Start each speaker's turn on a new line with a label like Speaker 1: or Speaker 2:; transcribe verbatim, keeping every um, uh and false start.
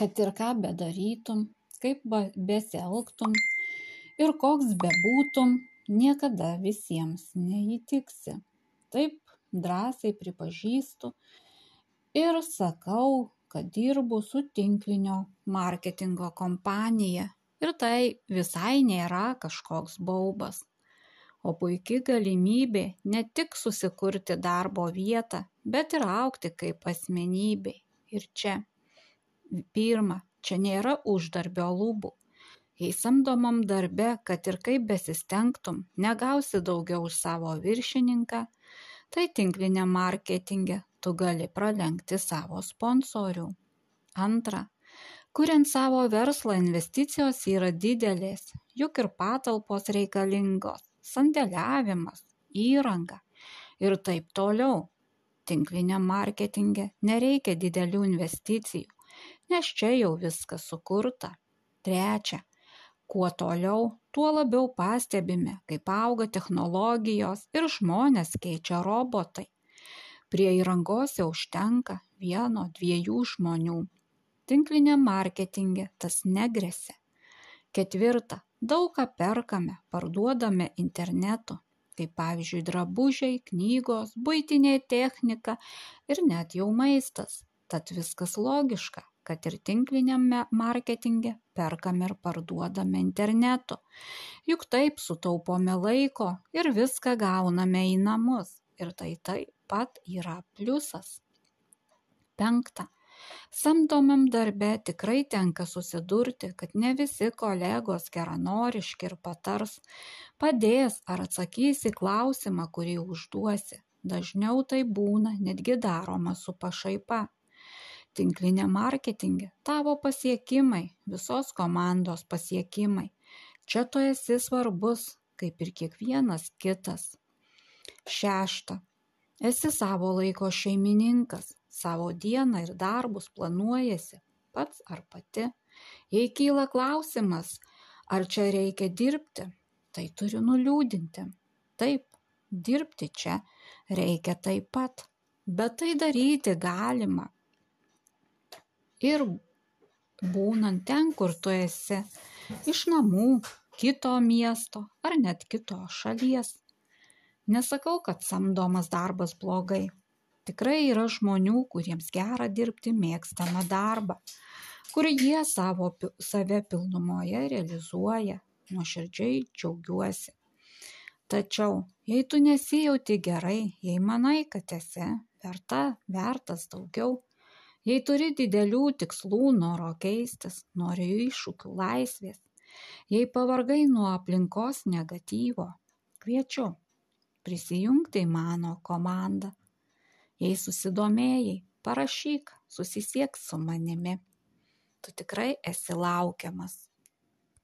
Speaker 1: kad ir ką bedarytum, kaip besielgtum ir koks bebūtum, niekada visiems neįtiksi. Taip drąsiai pripažįstu ir sakau, kad dirbu su tinklinio marketingo kompanija ir tai visai nėra kažkoks baubas, o puikia galimybė ne tik susikurti darbo vietą, bet ir augti kaip asmenybė. Ir čia, pirma, čia nėra uždarbio lubų. Jei samdomam darbe, kad ir kaip besistengtum, negausi daugiau už savo viršininką, tai tinkliniam marketinge tu gali pralenkti savo sponsorių. Antra, kuriant savo verslą investicijos yra didelės, juk ir patalpos reikalingos, sandėliavimas, įranga ir taip toliau. Tinkliniam marketinge nereikia didelių investicijų, nes čia jau viskas sukurta. Trečia, kuo toliau, tuo labiau pastebime, kaip auga technologijos ir žmonės keičia robotai. Prie įrangos jau užtenka vieno, dviejų žmonių. Tinkliniam marketinge tas negresia. Ketvirta, daug ką perkame, parduodame internetu, kaip pavyzdžiui drabužiai, knygos, buitinė technika ir net jau maistas. Tad viskas logiška, kad ir tinkliniame marketinge perkame ir parduodame internetu. Juk taip sutaupome laiko ir viską gauname į namus. Ir tai taip pat yra pliusas. Penkta. Samdomam darbe tikrai tenka susidurti, kad ne visi kolegos geranoriški ir patars, padės ar atsakys į klausimą, kurį užduosi. Dažniau tai būna netgi daroma su pašaipa. Tinkliniam marketinge tavo pasiekimai, visos komandos pasiekimai. Čia tu esi svarbus, kaip ir kiekvienas kitas. Šešta. Esi savo laiko šeimininkas, savo dieną ir darbus planuojasi pats ar pati. Jei kyla klausimas, ar čia reikia dirbti, tai turiu nuliūdinti. Taip, dirbti čia reikia taip pat, bet tai daryti galima. Ir būnant ten, kur tu esi, iš namų, kito miesto ar net kitos šalies. Nesakau, kad samdomas darbas blogai. Tikrai yra žmonių, kuriems gera dirbti mėgstamą darbą, kur jie savo, save pilnumoje realizuoja, nuoširdžiai džiaugiuosi. Tačiau, jei tu nesijauti gerai, jei manai, kad esi verta, vertas daugiau, jei turi didelių tikslų, noro keistis, nori iššūkių laisvės, jei pavargai nuo aplinkos negatyvo, kviečiu prisijungti į mano komandą. Jei susidomėjai, parašyk, susisiek su manimi. Tu tikrai esi laukiamas.